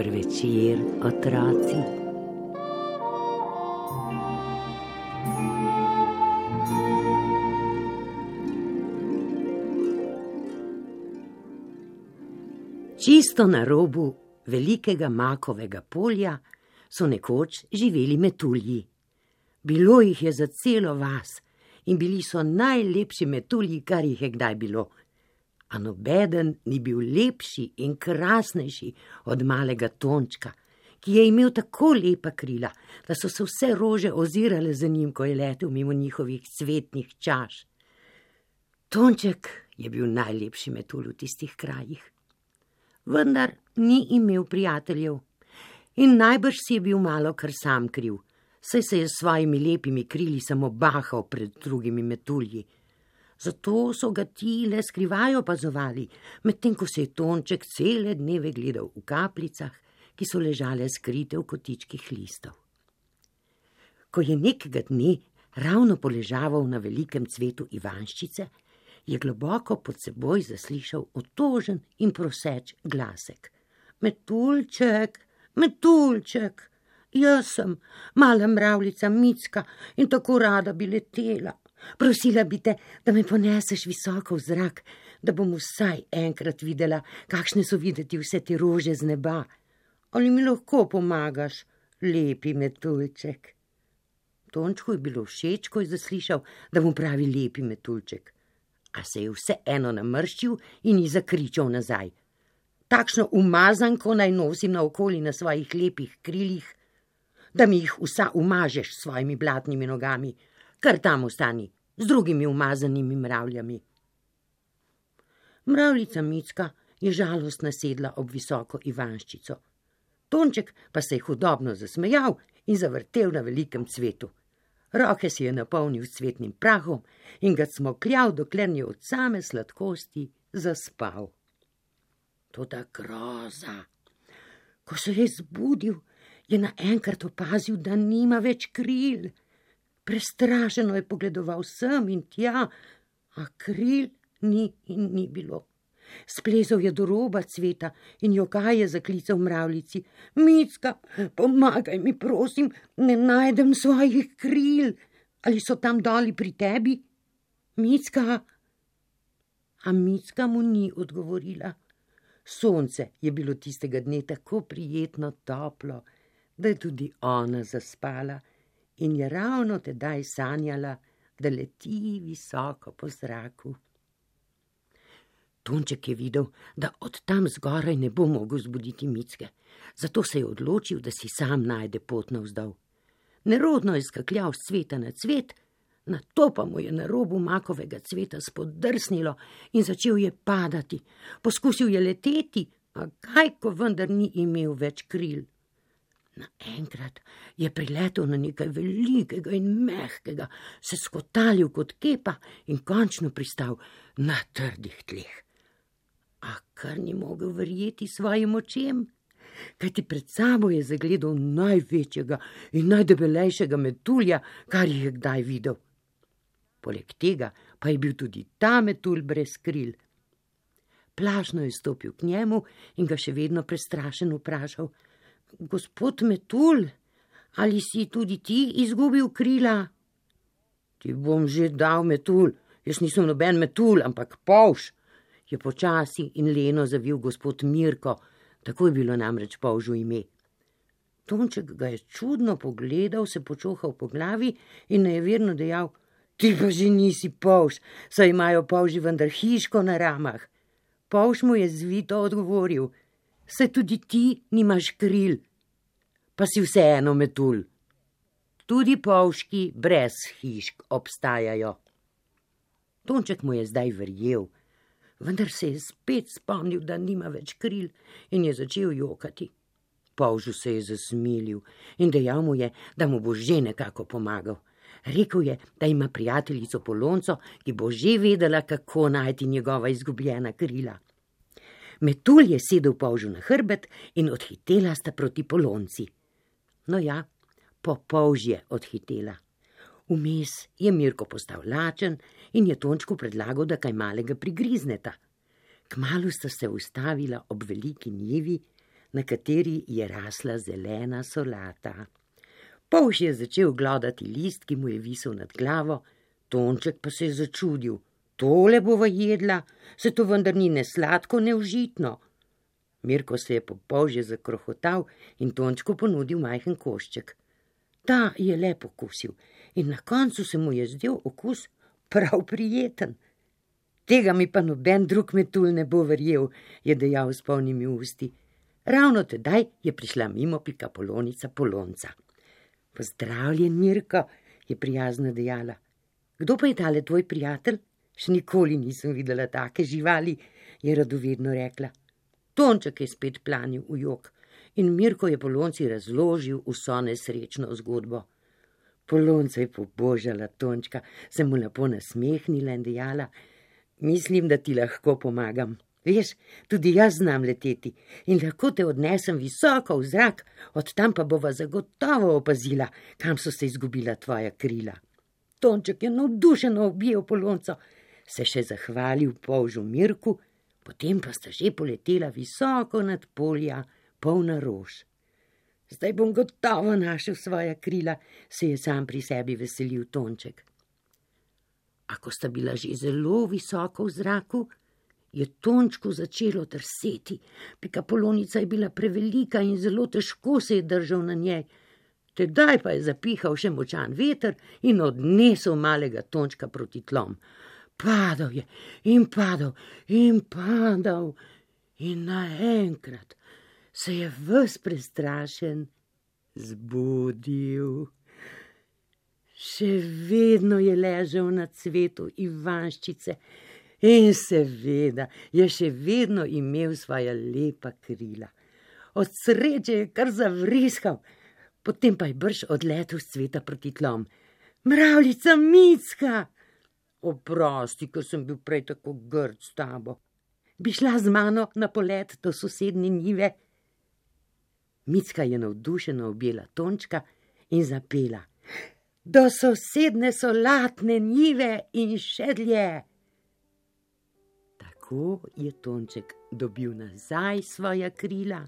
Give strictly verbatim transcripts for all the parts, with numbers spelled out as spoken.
Dober večer, otroci. Čisto na robu velikega makovega polja so nekoč živeli metulji. Bilo jih je za celo vas in bili so najlepši metulji, kar jih je kdaj bilo. A nobeden ni bil lepši in krasnejši od malega Tončka, ki je imel tako lepa krila, da so se vse rože ozirale za njim, ko je letel mimo njihovih cvetnih čaš. Tonček je bil najlepši metulj v tistih krajih. Vendar ni imel prijateljev in najbrž si je bil malo kar sam kriv, saj se je s svojimi lepimi krili samo bahal pred drugimi metulji. Zato so ga ti le skrivaj opazovali, medtem ko se je Tonček cele dneve gledal v kapljicah, ki so ležale skrite v kotičkih listov. Ko je nekega dne ravno poležaval na velikem cvetu ivanščice, je globoko pod seboj zaslišal otožen in proseč glasek. Metuljček, metuljček, jaz sem mala mravljica Micka in tako rada bi letela. Prosila bi te, da me poneseš visoko v zrak, da bom vsaj enkrat videla, kakšne so videti vse te rože z neba. Ali mi lahko pomagaš, lepi metuljček? Tončku je bilo všeč, ko je zaslišal, da mu pravi lepi metuljček. A se je vseeno namrščil in ji zakričal nazaj. Takšno umazanko naj nosim naokoli na svojih lepih krilih, da mi jih vsa umažeš s svojimi blatnimi nogami, kar tam ostani, z drugimi umazanimi mravljami. Mravljica Micka je žalostno sedla ob visoko ivanščico. Tonček pa se je hudobno zasmejal in zavrtel na velikem cvetu. Roke si je napolnil s cvetnim prahom in ga cmokljal, dokler ni od same sladkosti zaspal. Toda groza! Ko se je zbudil, je naenkrat opazil, da nima več kril. Prestrašeno je pogledoval sem in tja, a kril ni in ni bilo. Splezal je do roba cveta in jokaje zaklical mravljici. Micka, pomagaj mi, prosim, ne najdem svojih kril. Ali so tam doli pri tebi? Micka? A Micka mu ni odgovorila. Sonce je bilo tistega dne tako prijetno toplo, da je tudi ona zaspala in je ravno tedaj sanjala, da leti visoko po zraku. Tonček je videl, da od tam zgoraj ne bo mogel zbuditi Micke, zato se je odločil, da si sam najde pot navzdol. Nerodno je skakljal s cveta na cvet, nato pa mu je na robu makovega cveta spodrsnilo in začel je padati. Poskusil je leteti, a kaj, ko vendar ni imel več kril. Naenkrat je priletel na nekaj velikega in mehkega, se skotalil kot kepa in končno pristal na trdih tleh. A kar ni mogel verjeti svojim očem, kajti pred sabo je zagledal največjega in najdebelejšega metulja, kar jih je kdaj videl. Poleg tega pa je bil tudi ta metulj brez kril. Plašno je stopil k njemu in ga še vedno prestrašen vprašal: Gospod metulj, ali si tudi ti izgubil krila? Ti bom že dal, metulj, jaz nisem noben metulj, ampak polž, je počasi in leno zavil gospod Mirko, tako je bilo namreč polžu ime. Tonček ga je čudno pogledal, se počohal po glavi in nejeverno dejal: Ti pa že nisi polž, saj imajo polži vendar hiško na ramah. Polž mu je zvito odgovoril: Saj tudi ti nimaš kril, pa si vseeno metulj. Tudi polžki brez hišk obstajajo. Tonček mu je zdaj verjel, vendar se je spet spomnil, da nima več kril in je začel jokati. Polžu se je zasmilil in dejal mu je, da mu bo že nekako pomagal. Rekel je, da ima prijateljico Polonco, ki bo že vedela, kako najti njegova izgubljena krila. Metulj je sedel polžu na hrbet in odhitela sta proti Polonci. No ja, po polž je odhitela. Vmes je Mirko postal lačen in je Tončku predlagal, da kaj malega prigrizneta. Kmalu sta se ustavila ob veliki njivi, na kateri je rasla zelena solata. Polž je začel glodati list, ki mu je visel nad glavo, Tonček pa se je začudil. Tole bova jedla, se to vendar ni ne sladko, ne užitno. Mirko se je po polžje zakrohotal in Tončku ponudil majhen košček. Ta je le pokusil in na koncu se mu je zdel okus prav prijeten. Tega mi pa noben drug metulj ne bo verjel, je dejal s polnimi usti. Ravno tedaj je prišla mimo Pikapolonica Polonca. Pozdravljen, Mirko, je prijazno dejala. Kdo pa je tale tvoj prijatelj? Še nikoli nisem videla take živali, je radovedno rekla. Tonček je spet planil v jok in Mirko je Polonci razložil vso nesrečno zgodbo. Polonca je pobožala Tončka, se mu lepo nasmehnila in dejala: Mislim, da ti lahko pomagam. Veš, tudi jaz znam leteti in lahko te odnesem visoko v zrak, od tam pa bova zagotovo opazila, kam so se izgubila tvoja krila. Tonček je navdušeno objel Polonco, se še zahvalil polžu Mirku, potem pa sta že poletela visoko nad polja, polna rož. Zdaj bom gotovo našel svoja krila, se je sam pri sebi veselil Tonček. A ko sta bila že zelo visoko v zraku, je Tončku začelo trseti. Pikapolonica je bila prevelika in zelo težko se je držal na njej. Tedaj pa je zapihal še močan veter in odnesel malega Tončka proti tlom. Padal je in padal in padal in naenkrat se je ves prestrašen zbudil. Še vedno je ležal na cvetu ivanščice in seveda je še vedno imel svoja lepa krila. Od sreče je kar zavriskal, potem pa je brž odletel s cveta proti tlom. Mravljica Micka! Oprosti, ker sem bil prej tako grd s tabo. Bi šla z mano na polet do sosednje njive? Micka je navdušeno objela Tončka in zapela: Do sosedne solatne njive in še dlje. Tako je Tonček dobil nazaj svoja krila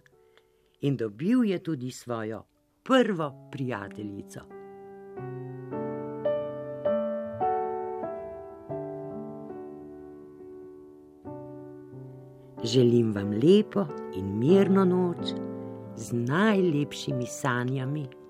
in dobil je tudi svojo prvo prijateljico. Želim vam lepo in mirno noč z najlepšimi sanjami.